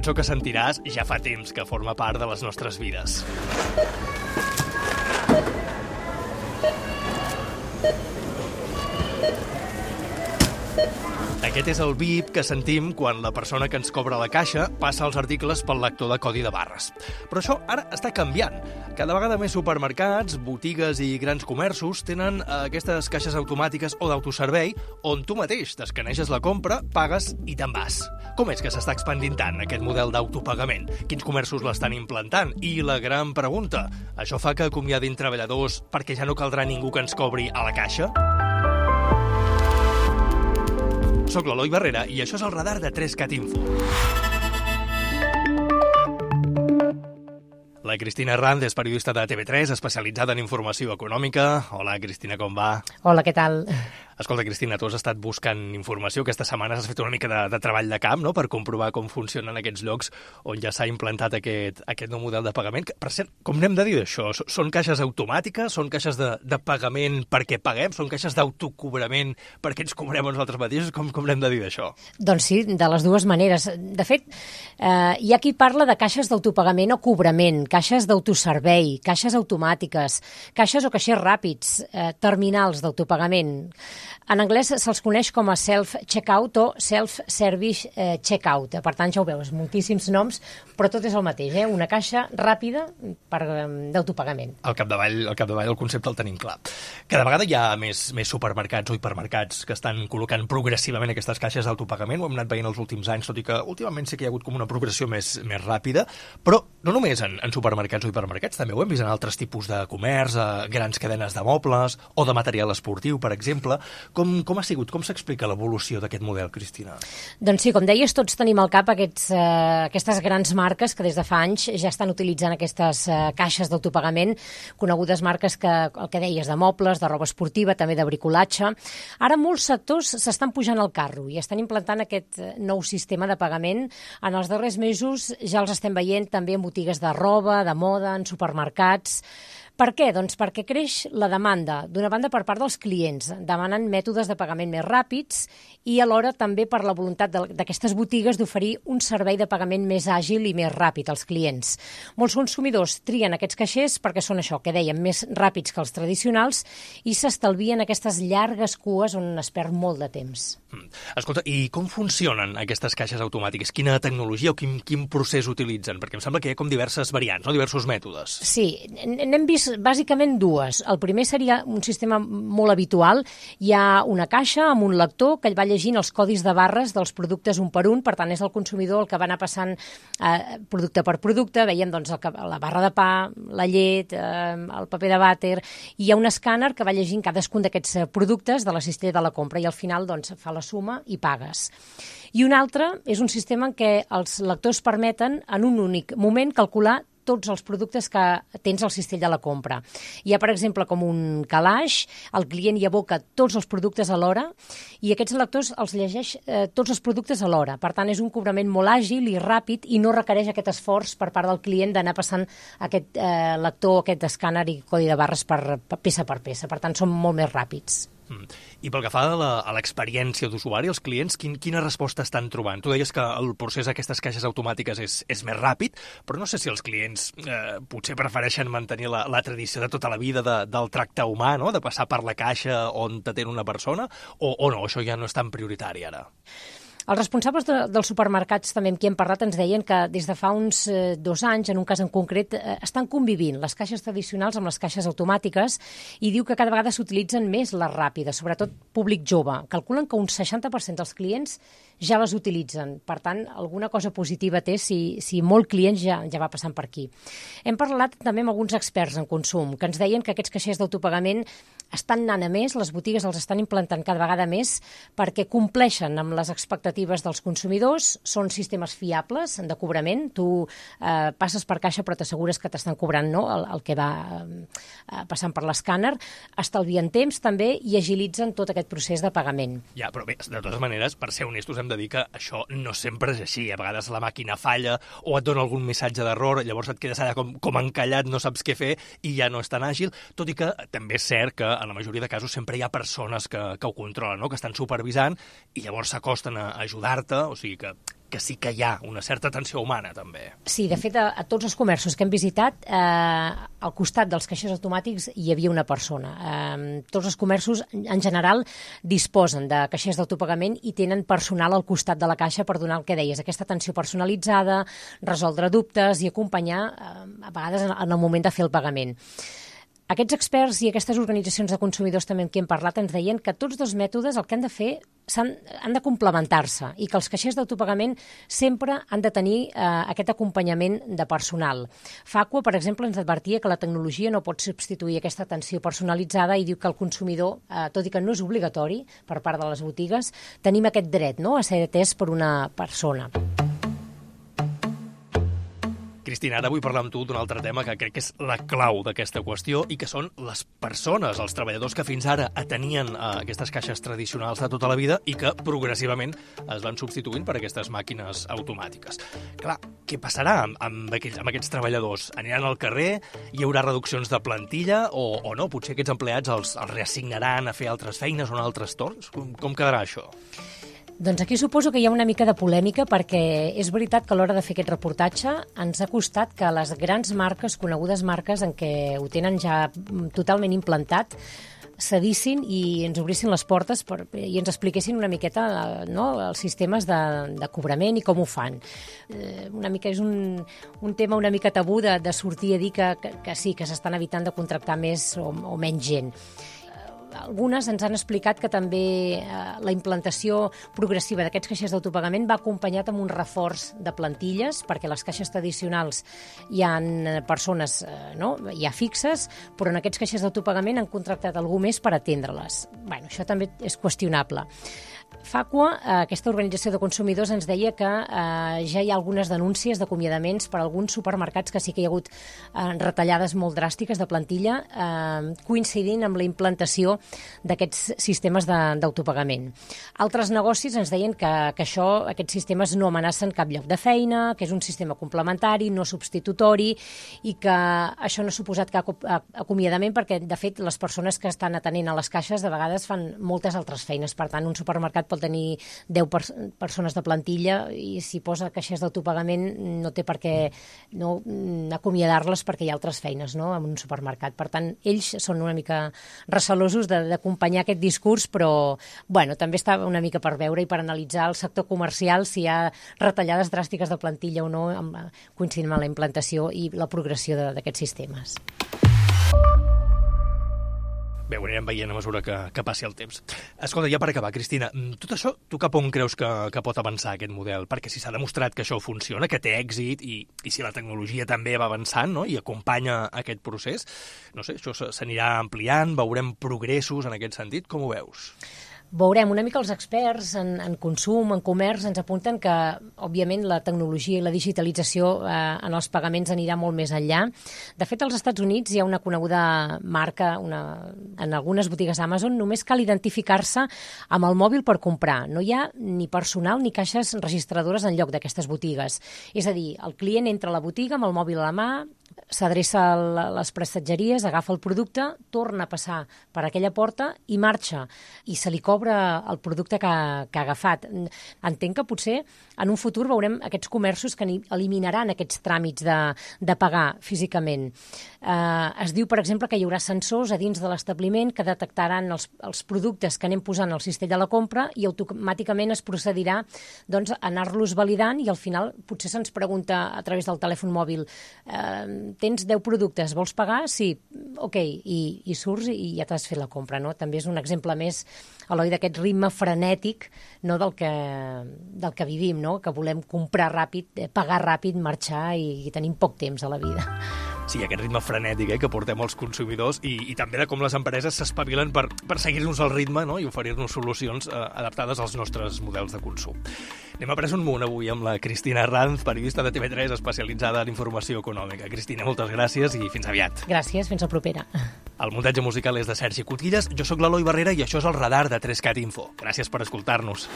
cançó que sentiràs ja fa temps que forma part de les nostres vides. Aquest és el bip que sentim quan la persona que ens cobra la caixa passa els articles pel lector de codi de barres. Però això ara està canviant. Cada vegada més supermercats, botigues i grans comerços tenen aquestes caixes automàtiques o d'autoservei on tu mateix t'escaneges la compra, pagues i te'n vas. Com és que s'està expandint tant aquest model d'autopagament? Quins comerços l'estan implantant? I la gran pregunta, això fa que acomiadin treballadors perquè ja no caldrà ningú que ens cobri a la caixa? Soc l'Eloi Barrera i això és el radar de 3Cat Info. La Cristina Herranz és periodista de TV3, especialitzada en informació econòmica. Hola, Cristina, com va? Hola, què tal? Escolta, Cristina, tu has estat buscant informació. Aquesta setmana has fet una mica de treball de camp, no?, per comprovar com funcionen aquests llocs on ja s'ha implantat aquest nou model de pagament. Per cert, com n'hem de dir d'això? Són caixes automàtiques? Són caixes de pagament perquè paguem? Són caixes d'autocobrament perquè ens cobrem a nosaltres mateixos? Com n'hem de dir d'això? Doncs sí, de les dues maneres. De fet, hi ha qui parla de caixes d'autopagament o cobrament, caixes d'autoservei, caixes automàtiques, caixes o caixers ràpids, terminals d'autopagament. En anglès se'ls coneix com a self-checkout o self-service checkout. Per tant, ja ho veus, moltíssims noms, però tot és el mateix, una caixa ràpida d'autopagament. Al capdavall el concepte el tenim clar. Cada vegada hi ha més supermercats o hipermercats que estan col·locant progressivament aquestes caixes d'autopagament. Ho hem anat veient els últims anys, tot i que últimament sí que hi ha hagut com una progressió més ràpida, però no només en supermercats o hipermercats, també ho hem vist en altres tipus de comerç, grans cadenes de mobles o de material esportiu, per exemple. Com ha sigut? Com s'explica l'evolució d'aquest model, Cristina? Doncs sí, com deies, tots tenim al cap aquestes grans marques que des de fa anys ja estan utilitzant aquestes caixes d'autopagament, conegudes marques el que deies, de mobles, de roba esportiva, també de bricolatge. Ara molts sectors s'estan pujant al carro i estan implantant aquest nou sistema de pagament. En els darrers mesos ja els estem veient també en botigues de roba, de moda, en supermercats. Per què? Doncs perquè creix la demanda, d'una banda per part dels clients, demanen mètodes de pagament més ràpids i alhora també per la voluntat d'aquestes botigues d'oferir un servei de pagament més àgil i més ràpid als clients. Molts consumidors trien aquests caixers perquè són això, que dèiem, més ràpids que els tradicionals i s'estalvien aquestes llargues cues on es perd molt de temps. Escolta, i com funcionen aquestes caixes automàtiques? Quina tecnologia o quin procés utilitzen? Perquè em sembla que hi ha com diverses variants, no? Diversos mètodes. Sí, n'hem vist bàsicament dues. El primer seria un sistema molt habitual. Hi ha una caixa amb un lector que va llegint els codis de barres dels productes un per un, per tant és el consumidor el que va anar passant producte per producte. Veiem doncs, la barra de pa, la llet, el paper de vàter, i hi ha un escàner que va llegint cadascun d'aquests productes de la cistella de la compra i al final doncs, fa la suma i pagues. I un altre és un sistema en què els lectors permeten en un únic moment calcular tots els productes que tens al cistell de la compra. Hi ha, per exemple, com un calaix, el client hi aboca tots els productes alhora i aquests lectors els llegeix tots els productes alhora. Per tant, és un cobrament molt àgil i ràpid i no requereix aquest esforç per part del client d'anar passant aquest lector, aquest escàner i codi de barres per peça per peça. Per tant, són molt més ràpids. I pel que fa a l'experiència d'usuari, els clients, quina resposta estan trobant? Tu deies que el procés d'aquestes caixes automàtiques és més ràpid, però no sé si els clients potser prefereixen mantenir la tradició de tota la vida del tracte humà, no?, de passar per la caixa on t'atén una persona, o no, això ja no és tan prioritari ara? Els responsables dels supermercats també amb qui hem parlat ens deien que des de fa uns 2 anys, en un cas en concret, estan convivint les caixes tradicionals amb les caixes automàtiques i diu que cada vegada s'utilitzen més les ràpides, sobretot públic jove. Calculen que un 60% dels clients ja les utilitzen. Per tant, alguna cosa positiva té si molt clients ja va passant per aquí. Hem parlat també amb alguns experts en consum que ens deien que aquests caixers d'autopagament estan anant a més, les botigues els estan implantant cada vegada més perquè compleixen amb les expectatives dels consumidors, són sistemes fiables de cobrament, tu passes per caixa però t'assegures que t'estan cobrant, no?, el que va passant per l'escàner, estalvien temps també i agilitzen tot aquest procés de pagament. Ja, però bé, de totes maneres, per ser honestos, hem de dir que això no sempre és així. A vegades la màquina falla o et dona algun missatge d'error, llavors et quedes allà com encallat, no saps què fer i ja no és tan àgil, tot i que també és cert que en la majoria de casos sempre hi ha persones que ho controlen, no?, que estan supervisant i llavors s'acosten a ajudar-te, o sigui que que sí que hi ha una certa atenció humana, també. Sí, de fet, a tots els comerços que hem visitat, al costat dels caixers automàtics hi havia una persona. Tots els comerços, en general, disposen de caixers d'autopagament i tenen personal al costat de la caixa per donar el que deies, aquesta atenció personalitzada, resoldre dubtes i acompanyar, a vegades, en el moment de fer el pagament. Aquests experts i aquestes organitzacions de consumidors també amb qui hem parlat ens deien que tots dos mètodes el que han de fer han de complementar-se i que els caixers d'autopagament sempre han de tenir aquest acompanyament de personal. Facua, per exemple, ens advertia que la tecnologia no pot substituir aquesta atenció personalitzada i diu que el consumidor, tot i que no és obligatori per part de les botigues, tenim aquest dret, no?, a ser atès per una persona. Cristina, ara vull parlar amb tu d'un altre tema que crec que és la clau d'aquesta qüestió i que són les persones, els treballadors que fins ara atenien aquestes caixes tradicionals de tota la vida i que progressivament es van substituint per aquestes màquines automàtiques. Clar, què passarà amb aquests treballadors? Aniran al carrer? Hi haurà reduccions de plantilla o no? Potser aquests empleats els reassignaran a fer altres feines o en altres torns? Com quedarà això? Doncs aquí suposo que hi ha una mica de polèmica perquè és veritat que a l'hora de fer aquest reportatge ens ha costat que les grans marques, conegudes marques en què ho tenen ja totalment implantat, cedissin i ens obrissin les portes i ens expliquessin una miqueta els sistemes de cobrament i com ho fan. Una mica és un tema una mica tabú de sortir a dir que sí, que s'estan evitant de contractar més o menys gent. Algunes ens han explicat que també la implantació progressiva d'aquests caixers d'autopagament va acompanyat amb un reforç de plantilles, perquè les caixes tradicionals hi ha persones ja fixes, però en aquests caixers d'autopagament han contractat algú més per atendre-les. Bé, això també és qüestionable. Facua, aquesta organització de consumidors, ens deia que ja hi ha algunes denúncies d'acomiadaments per alguns supermercats que sí que hi ha hagut retallades molt dràstiques de plantilla coincidint amb la implantació d'aquests sistemes d'autopagament. Altres negocis ens deien que aquests sistemes no amenacen cap lloc de feina, que és un sistema complementari, no substitutori i que això no ha suposat cap acomiadament perquè, de fet, les persones que estan atenent a les caixes de vegades fan moltes altres feines. Per tant, un supermercat pot tenir 10 persones de plantilla i si posa caixers d'autopagament no té per què acomiadar-les perquè hi ha altres feines en un supermercat. Per tant, ells són una mica recelosos d'acompanyar aquest discurs, però també està una mica per veure i per analitzar el sector comercial si hi ha retallades dràstiques de plantilla o no coincidint amb la implantació i la progressió d'aquests sistemes. Bé, ho anirem veient a mesura que passi el temps. Escolta, ja per acabar, Cristina, tot això, tu cap on creus que pot avançar aquest model? Perquè si s'ha demostrat que això funciona, que té èxit, i si la tecnologia també va avançant i acompanya aquest procés, no sé, això s'anirà ampliant, veurem progressos en aquest sentit, com ho veus? Veurem, una mica els experts en consum, en comerç, ens apunten que, òbviament, la tecnologia i la digitalització en els pagaments anirà molt més enllà. De fet, als Estats Units hi ha una coneguda marca, en algunes botigues Amazon, només cal identificar-se amb el mòbil per comprar. No hi ha ni personal ni caixes registradores en lloc d'aquestes botigues. És a dir, el client entra a la botiga amb el mòbil a la mà, s'adreça a les prestatgeries, agafa el producte, torna a passar per aquella porta i marxa. I se li cobra el producte que ha agafat. Entenc que potser en un futur veurem aquests comerços que eliminaran aquests tràmits de pagar físicament. Es diu, per exemple, que hi haurà sensors a dins de l'establiment que detectaran els productes que anem posant al cistell de la compra i automàticament es procedirà a anar-los validant i al final potser se'ns pregunta a través del telèfon mòbil tens 10 productes, vols pagar? Sí, ok, i surts i ja t'has fet la compra, no? També és un exemple més, Eloi, d'aquest ritme frenètic del que vivim, no? Que volem comprar ràpid, pagar ràpid, marxar i tenim poc temps a la vida. Sí, aquest ritme frenètic que portem els consumidors i també de com les empreses s'espavilen per seguir-nos el ritme i oferir-nos solucions adaptades als nostres models de consum. Anem a Pres un munt avui amb la Cristina Ranz, periodista de TV3 especialitzada en informació econòmica. Cristina, moltes gràcies i fins aviat. Gràcies, fins la propera. El muntatge musical és de Sergi Cotillas, jo sóc l'Eloi Barrera i això és el Radar de 3CAT Info. Gràcies per escoltar-nos.